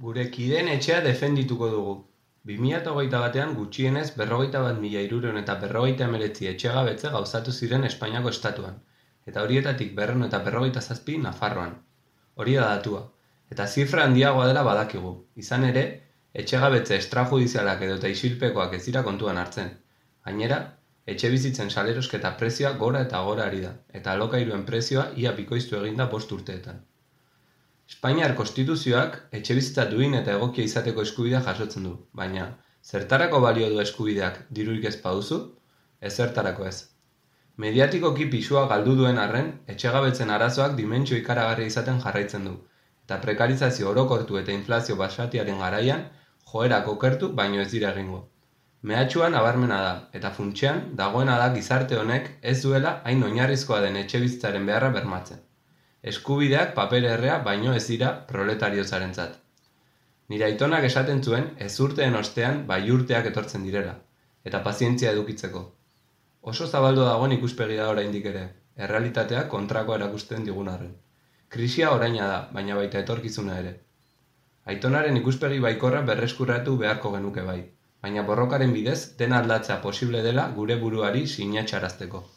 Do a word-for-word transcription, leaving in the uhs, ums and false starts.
Gure kideen etxea defendituko dugu. bi mila hogeita batean gutxienez berrogeita bat mila hirurehun eta berrogeita hemeretzi etxegabetze gauzatu ziren Espainiako estatuan, eta horietatik berrehun eta berrogeita zazpi Nafarroan. Hori da datua, eta zifra handiagoa dela badakigu. Izan ere, etxegabetze extrajudizialak edota isilpekoak ez dira kontuan hartzen. Gainera, etxebizitzen salerosketa prezioa gora eta gora ari da, eta alokairuen prezioa ia bikoiztu eginda bost urteetan. Espainiar konstituzioak etxebizitza duin eta egokia izateko eskubidea jasotzen du, baina zertarako balio du eskubideak dirurik ez baduzu? Ezertarako ez. Mediatikoki pisua galdu duen arren, etxegabetzen arazoak dimentsio ikaragarria izaten jarraitzen du, eta prekarizazio orokortu eta inflazio basatiaren garaian joerak okertu baino ez dira egingo. Mehatxuan nabarmena da, eta funtsean dagoena da gizarte honek ez duela hain oinarrizkoa den etxebizitzaren beharra bermatzen. Eskubideak paper errea baino ez dira proletariozarentzat. Nire aitonak esaten zuen ezurteen ostean baiurteak etortzen direla, eta pazientzia edukitzeko. Oso zabaldu dagoen ikuspegi da oraindik ere, errealitateak kontrakoa erakusten digun arren. Krisia oraina da, baina baita etorkizuna ere. Aitonaren ikuspegi baikorra berreskurratu beharko genuke bai, baina borrokaren bidez dena aldatzea posible dela gure buruari sinatsarazteko.